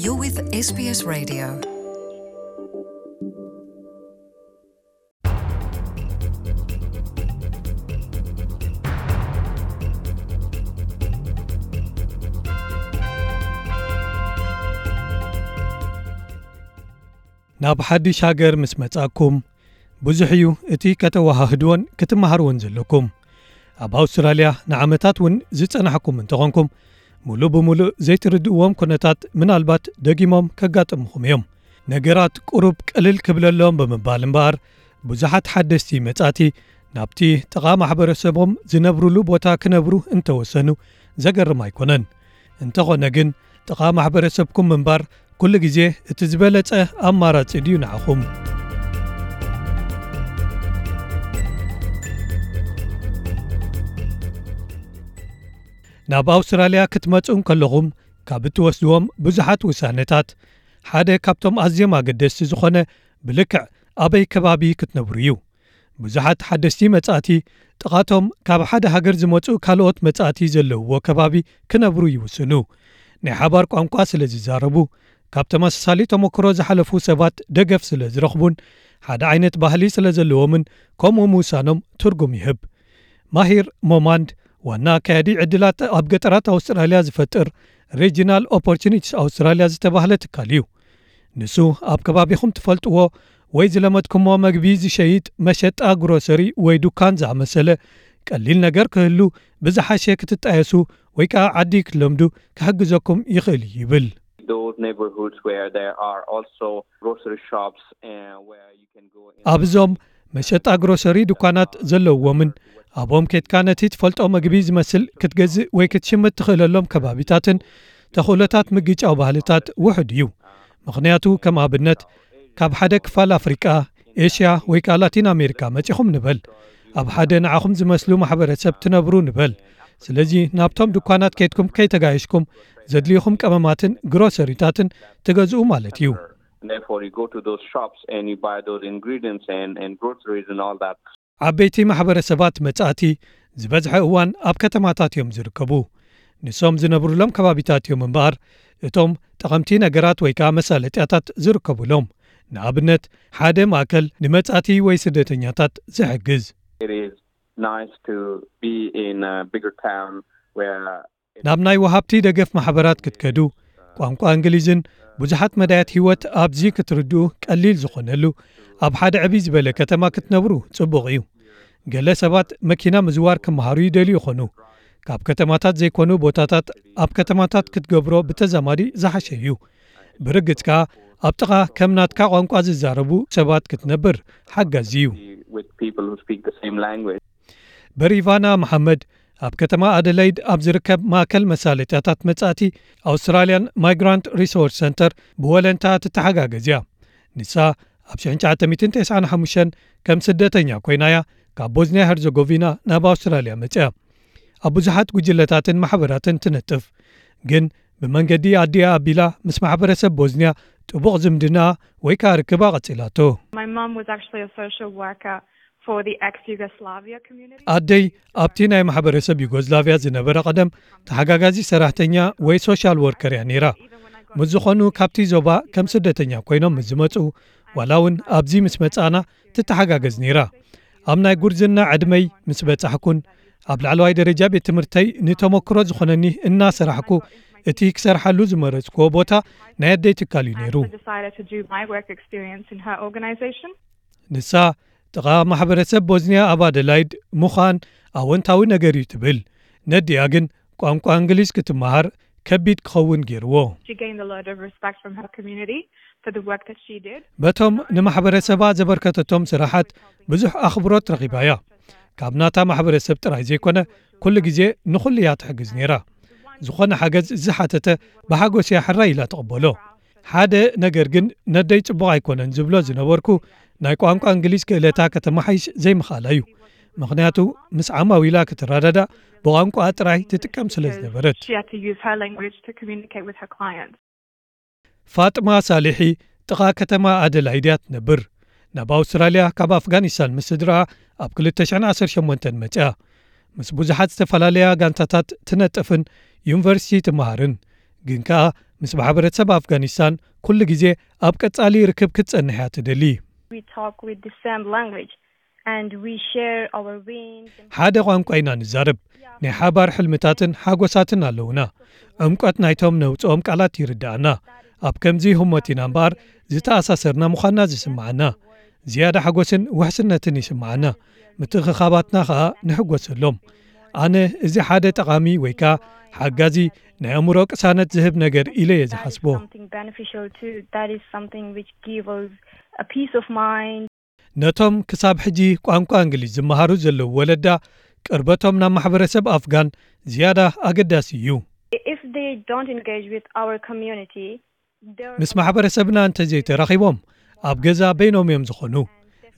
You're with S B S Radio. ናብ ሓድሽ ሃገር ምስ መጻእኩም፣ ብዙሕ እዩ እቲ ከተወሃህድዎን ክትመሃርዎን ዘለኩም። ኣብ ኣውስትራልያ ንዓመታት እውን ዝጸናሕኩም እንተኾንኩም፣ ሙሉእ ብሙሉእ ዘይትርድእዎም ኩነታት ምናልባት ደጊሞም ከጋጥምኹም እዮም። ነገራት ቁሩብ ቅልል ክብለሎም ብምባል እምበኣር፣ ብዙሓት ሓደስቲ መጻእቲ ናብቲ ጥቓ ማሕበረሰቦም ዝነብሩሉ ቦታ ክነብሩ እንተወሰኑ ዘገርም ኣይኮነን። እንተኾነ ግን፣ ጥቓ ማሕበረሰብኩም ምንባር ኩሉ ግዜ እቲ ዝበለጸ ኣማራጺ ድዩ ንዓኹም? ናብ ኣውስትራልያ ክትመጹ እንከለኹም፣ ካብ እትወስድዎም ብዙሓት ውሳነታት፣ ሓደ ካብቶም ኣዝዮም ኣገደስቲ ዝኾነ፣ ብልክዕ ኣበይ ከባቢ ክትነብሩ እዩ። ብዙሓት ሓደስቲ መጻእቲ፣ ጥቓቶም ካብ ሓደ ሃገር ዝመጹ ካልኦት መጻእቲ ዘለውዎ ከባቢ ክነብሩ ይውስኑ። ናይ ሓባር ቋንቋ ስለ ዝዛረቡ፣ ካብ ተመሳሳሊ ተመክሮ ዝሓለፉ ሰባት ደገፍ ስለ ዝረኽቡን ሓደ ዓይነት ባህሊ ስለ ዘለዎምን፣ ከምኡ ምውሳኖም ትርጉም ይህብ። ማሂር ሞማንድ፣ ዋና ኣካያዲ ዕድላት ኣብ ገጠራት ኣውስትራልያ ዝፈጥር ሬጂናል ኦፖርቹኒቲስ ኣውስትራልያ ዝተባህለ ትካል እዩ። ንሱ፣ ኣብ ከባቢኹም ትፈልጥዎ ወይ ዝለመድኩሞ መግቢ ዝሸይጥ መሸጣ ግሮሰሪ ወይ ዱካን ዝኣመሰለ ቀሊል ነገር ክህሉ ብዝሓሸ ክትጣየሱ ወይ ከኣ ዓዲ ክትለምዱ ክሕግዘኩም ይኽእል እዩ ይብል። Those neighborhoods where there are also grocery shops, uh, where you can go in. ኣብዞም መሸጣ ግሮሰሪ ዱካናት ዘለውዎምን ኣብኦም ኬድካ ነቲ ትፈልጦ መግቢ ዝመስል ክትገዝእ ወይ ክትሽምት ትኽእለሎም ከባቢታትን ተኽእሎታት ምግጫው ባህልታት ውሑድ እዩ። ምኽንያቱ፣ ከም ኣብነት፣ ካብ ሓደ ክፋል ኣፍሪቃ፣ ኤሽያ ወይ ከኣ ላቲን ኣሜሪካ መጺኹም ንበል። ኣብ ሓደ ንዓኹም ዝመስሉ ማሕበረሰብ ትነብሩ ንበል። ስለዚ፣ ናብቶም ድኳናት ኬድኩም ከይተጋየሽኩም፣ ዘድልዩኹም ቀመማትን ግሮሰሪታትን ትገዝኡ ማለት እዩ። And therefore, you go to those shops and you buy those ingredients and, and groceries and all that. ዓበይቲ ማሕበረሰባት መጻእቲ ዝበዝሐ እዋን ኣብ ከተማታት እዮም ዝርከቡ። ንሶም ዝነብሩሎም ከባቢታት እዮም እምበኣር፣ እቶም ጠቐምቲ ነገራት ወይ ከኣ መሳለጥያታት ዝርከቡሎም። ንኣብነት፣ ሓደ ማእከል ንመጻእቲ ወይ ስደተኛታት ዝሕግዝ። It is nice to be in a bigger town where ናብ ናይ ወሃብቲ ደገፍ ማሕበራት ክትከዱ፣ ቋንቋ እንግሊዝን ብዙሓት መዳያት ህይወት ኣብዚ ክትርድኡ ቀሊል ዝኾነሉ፣ ኣብ ሓደ ዕብይ ዝበለ ከተማ ክትነብሩ ጽቡቕ እዩ። ገለ ሰባት መኪና ምዝዋር ክመሃሩ ይደልዩ ይኾኑ። ካብ ከተማታት ዘይኮኑ ቦታታት ኣብ ከተማታት ክትገብሮ ብተዛማዲ ዝሓሸ እዩ። ብርግጽ ከኣ፣ ኣብ ጥቓ ከም ናትካ ቋንቋ ዝዛረቡ ሰባት ክትነብር ሓጋዚ እዩ። With people who speak the same language. በሪቫና መሓመድ ኣብ ከተማ ኣደለይድ ኣብ ዝርከብ ማእከል መሳለጥያታት መጻእቲ ኣውስትራልያን ማይግራንት ሪሶርስ ሰንተር ብወለንታ ትተሓጋገዝ እያ። ንሳ ኣብ ሽሕን ትሽዓተ ሚእትን ተስዓን ሓሙሽተን ከም ስደተኛ ኮይና እያ ካብ ቦዝንያ ሄርዘጎቪና ናብ ኣውስትራልያ መጽያ። ኣብ ብዙሓት ጉጅለታትን ማሕበራትን ትነጥፍ። ግን ብመንገዲ ኣዲኣ ኣቢላ ምስ ማሕበረሰብ ቦዝንያ ጥቡቕ ዝምድና ወይ ከኣ ርክባ ቀጺላቶ። My mum was actually a social worker for the ex-Yugoslavia community. ኣደይ ኣብቲ ናይ ማሕበረሰብ ዩጎዝላቭያ ዝነበረ ቀደም ተሓጋጋዚ ሰራሕተኛ ወይ ሶሻል ወርከር እያ ነይራ። ምስ ዝኾኑ ካብቲ ዞባ ከም ስደተኛ ኮይኖም ምስ ዝመጹ፣ ዋላ እውን ኣብዚ ምስ መጻና ትተሓጋገዝ ነይራ። ኣብ ናይ ጉርዝና ዕድመይ ምስ በጻሕኩን ኣብ ላዕለዋይ ደረጃ ቤት ትምህርተይ ንተመክሮ ዝኾነኒ እናሰራሕኩ፣ እቲ ክሰርሓሉ ዝመረጽኩዎ ቦታ ናይ ኣደይ ትካል እዩ ነይሩ። I decided to do my work experience in her organization. ንሳ ጥቓ ማሕበረሰብ ቦዝንያ ኣብ ኣደላይድ ምዃን ኣወንታዊ ነገር እዩ ትብል። ነዲኣ ግን ቋንቋ እንግሊዝ ክትመሃር ከቢድ ክኸውን ገይርዎ። She gained a lot of respect from her community for the work that she did. በቶም ንማሕበረሰባ ዘበርከተቶም ስራሓት ብዙሕ ኣኽብሮት ረኺባ እያ። ካብ ናታ ማሕበረሰብ ጥራይ ዘይኮነ፣ ኩሉ ግዜ ንኹሉ እያ ትሕግዝ ነይራ። ዝኾነ ሓገዝ ዝሓተተ ብሓጎስ እያ ሕራይ ኢላ ትቕበሎ። ሓደ ነገር ግን ነደይ ጽቡቕ ኣይኮነን ዝብሎ ዝነበርኩ፣ ናይ ቋንቋ እንግሊዝ ክእለታ ከተመሓይሽ ዘይምኽኣላ እዩ። ምኽንያቱ፣ ምስ ዓማዊላ ክትረዳዳእ ብቋንቋ ጥራይ ትጥቀም ስለ ዝነበረት። She had to use her language to communicate with her clients. ፋጥማ ሳሊሒ ጥቓ ከተማ ኣደላይድ እያ ትነብር። ናብ ኣውስትራልያ ካብ ኣፍጋኒስታን ምስ ስድራኣ ኣብ ክልተ ሽሕን ዓሰርተ ሸሞንተን መጽያ። ምስ ብዙሓት ዝተፈላለያ ጋንታታት ትነጥፍን ዩኒቨርሲቲ ትመሃርን። ግን ከኣ ምስ ማሕበረሰብ ኣፍጋኒስታን ኩሉ ግዜ ኣብ ቀጻሊ ርክብ ክትጸንሕ እያ ትደሊ። We talk with the same language and we share our wins. ሓደ ቋንቋ ኢና ንዛረብ። ናይ ሓባር ሕልምታትን ሓጎሳትን ኣለውና። ዕምቆት ናይቶም ነውጽኦም ቃላት ይርድኣና። ኣብ ከምዚ ህሞት ኢና እምበኣር ዝተኣሳሰርና ምዃንና ዝስምዓና። ዝያዳ ሓጎስን ውሕስነትን ይስምዓና። ምትእኽኻባትና ኸኣ ንሕጎሰሎም። ኣነ እዚ ሓደ ጠቓሚ ወይ ከኣ ሓጋዚ ናይ ኣእምሮ ቅሳነት ዝህብ ነገር ኢለ እየ ዝሓስቦ። Something beneficial too. That is something which gives us a peace of mind. ነቶም ክሳብ ሕጂ ቋንቋ እንግሊዝ ዝመሃሩ ዘለዉ ወለዳ ቅርበቶም ናብ ማሕበረሰብ ኣፍጋን ዝያዳ ኣገዳሲ እዩ። If they don't engage with our community, ምስ ማሕበረሰብና እንተዘይተራኺቦም ኣብ ገዛ በይኖም እዮም ዝኾኑ።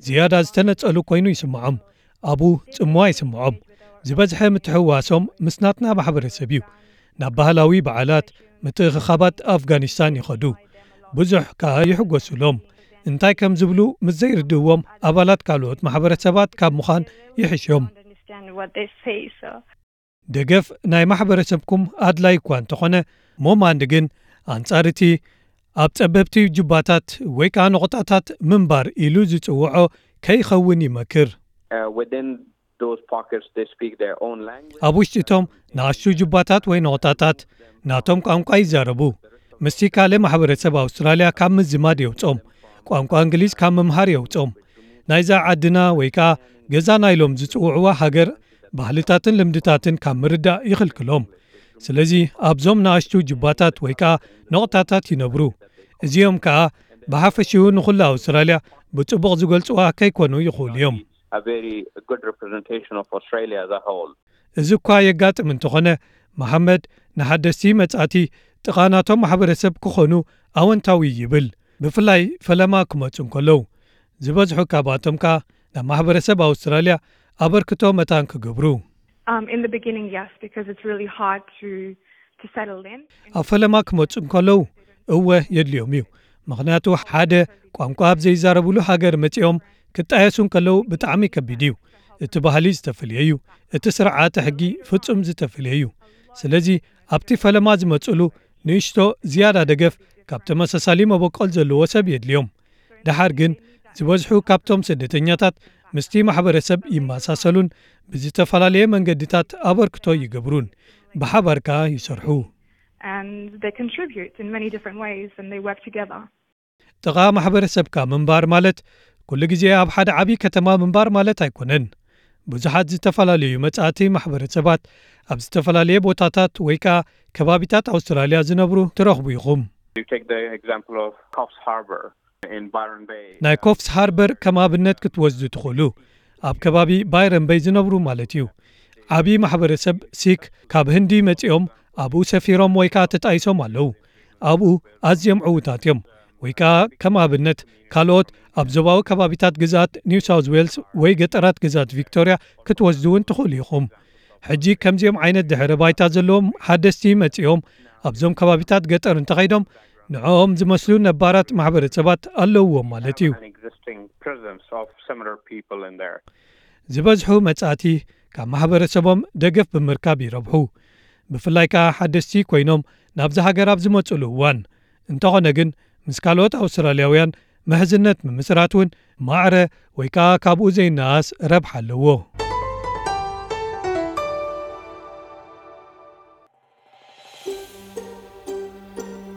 ዝያዳ ዝተነጸሉ ኮይኑ ይስምዖም። ኣብኡ ጽምዋ ይስምዖም። ዝበዝሐ ምትሕውዋሶም ምስ ናትና ማሕበረሰብ እዩ። ናብ ባህላዊ በዓላት፣ ምትእኽኻባት ኣፍጋኒስታን ይኸዱ። ብዙሕ ከኣ ይሕጎሱሎም። እንታይ ከም ዝብሉ ምስ ዘይርድእዎም ኣባላት ካልኦት ማሕበረሰባት ካብ ምዃን ይሕሾም። Understand what they say. So ደገፍ ናይ ማሕበረሰብኩም ኣድላይ እኳ እንተኾነ፣ ሞማንድ ግን ኣንጻር እቲ ኣብ ጸበብቲ ጁባታት ወይ ከኣ ነቑጣታት ምንባር ኢሉ ዝጽውዖ ከይኸውን ይመክር። Uh, within those pockets, they speak their own language. ኣብ ውሽጢ እቶም ንኣሽቱ ጁባታት ወይ ነቑጣታት ናቶም ቋንቋ ይዛረቡ። ምስቲ ካልእ ማሕበረሰብ ኣውስትራልያ ካብ ምዝማድ የውጾም። ቋንቋ እንግሊዝ ካብ ምምሃር የውጾም። ናይዛ ዓድና ወይ ከኣ ገዛና ኢሎም ዝጽውዕዋ ሃገር ባህልታትን ልምድታትን ካብ ምርዳእ ይኽልክሎም። ስለዚ ኣብዞም ንኣሽቱ ጁባታት ወይ ከኣ ነቑጣታት ይነብሩ። እዚኦም ከኣ ብሓፈሽኡ ንኹሉ ኣውስትራልያ ብጽቡቕ ዝገልጽዋ ከይኮኑ ይኽእሉ እዮም። A very good representation of Australia as a whole. እዚ እኳ የጋጥም እንተኾነ፣ መሓመድ ንሓደስቲ መጻእቲ ጥቓ ናቶም ማሕበረሰብ ክኾኑ ኣወንታዊ ይብል። ብፍላይ ፈለማ ክመጹ እንከለዉ፣ ዝበዝሑ ካብኣቶም ከኣ ናብ ማሕበረሰብ ኣውስትራልያ ኣበርክቶ መታን ክገብሩ። um, in the beginning, yes, because it's really hard to to settle in. ኣብ ፈለማ ክመጹ እንከለዉ እወ የድልዮም እዩ። ምኽንያቱ ሓደ ቋንቋ ኣብ ዘይዛረብሉ ሃገር መጺኦም ክጣየሱ እንከለዉ ብጣዕሚ ከቢድ እዩ። እቲ ባህሊ ዝተፈልየ እዩ። እቲ ስርዓተ ሕጊ ፍጹም ዝተፈልየ እዩ። ስለዚ ኣብቲ ፈለማ ዝመጽሉ ንእሽቶ ዝያዳ ደገፍ ካብ ተመሳሳሊ መበቆል ዘለዎ ሰብ የድልዮም። ደሓር ግን ዝበዝሑ ካብቶም ስደተኛታት ምስቲ ማሕበረሰብ ይመሳሰሉን ብዝተፈላለየ መንገድታት ኣበርክቶ ይገብሩን ብሓባር ከኣ ይሰርሑ። And they contribute in many different ways and they work together. ጥቓ ማሕበረሰብካ ምንባር ማለት ኩሉ ግዜ ኣብ ሓደ ዓቢ ከተማ ምንባር ማለት ኣይኮነን። ብዙሓት ዝተፈላለዩ መጻእቲ ማሕበረሰባት ኣብ ዝተፈላለየ ቦታታት ወይ ከኣ ከባቢታት ኣውስትራልያ ዝነብሩ ትረኽቡ ኢኹም። You take the example of Coffs Harbour in Byron Bay. ናይ ኮፍስ ሃርበር ከም ኣብነት ክትወስዱ ትኽእሉ። ኣብ ከባቢ ባይረን በይ ዝነብሩ ማለት እዩ። ዓቢ ማሕበረሰብ ሲክ ካብ ህንዲ መጺኦም ኣብኡ ሰፊሮም ወይ ከኣ ተጣይሶም ኣለዉ። ኣብኡ ኣዝዮም ዕዉታት እዮም። ወይ ከኣ ከም ኣብነት ካልኦት ኣብ ዞባዊ ከባቢታት ግዝኣት ኒው ሳውዝ ዌልስ ወይ ገጠራት ግዝኣት ቪክቶርያ ክትወስዱ እውን ትኽእሉ ኢኹም። ሕጂ ከምዚኦም ዓይነት ድሕረ ባይታ ዘለዎም ሓደስቲ መጺኦም ኣብዞም ከባቢታት ገጠር እንተኸይዶም ንዕኦም ዝመስሉ ነባራት ማሕበረሰባት ኣለውዎም ማለት እዩ። An existing presence of similar people in there. ዝበዝሑ መጻእቲ ካብ ማሕበረሰቦም ደገፍ ብምርካብ ይረብሑ። ብፍላይ ከኣ ሓደስቲ ኮይኖም ናብዚ ሃገር ኣብ ዝመጽሉ እዋን። እንተኾነ ግን ምስ ካልኦት ኣውስትራልያውያን ምሕዝነት ምምስራት እውን ማዕረ ወይ ከኣ ካብኡ ዘይነኣስ ረብሓ ኣለዎ።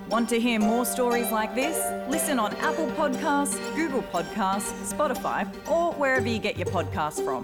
Want to hear more stories like this? Listen on Apple Podcasts, Google Podcasts, Spotify, or wherever you get your podcasts from.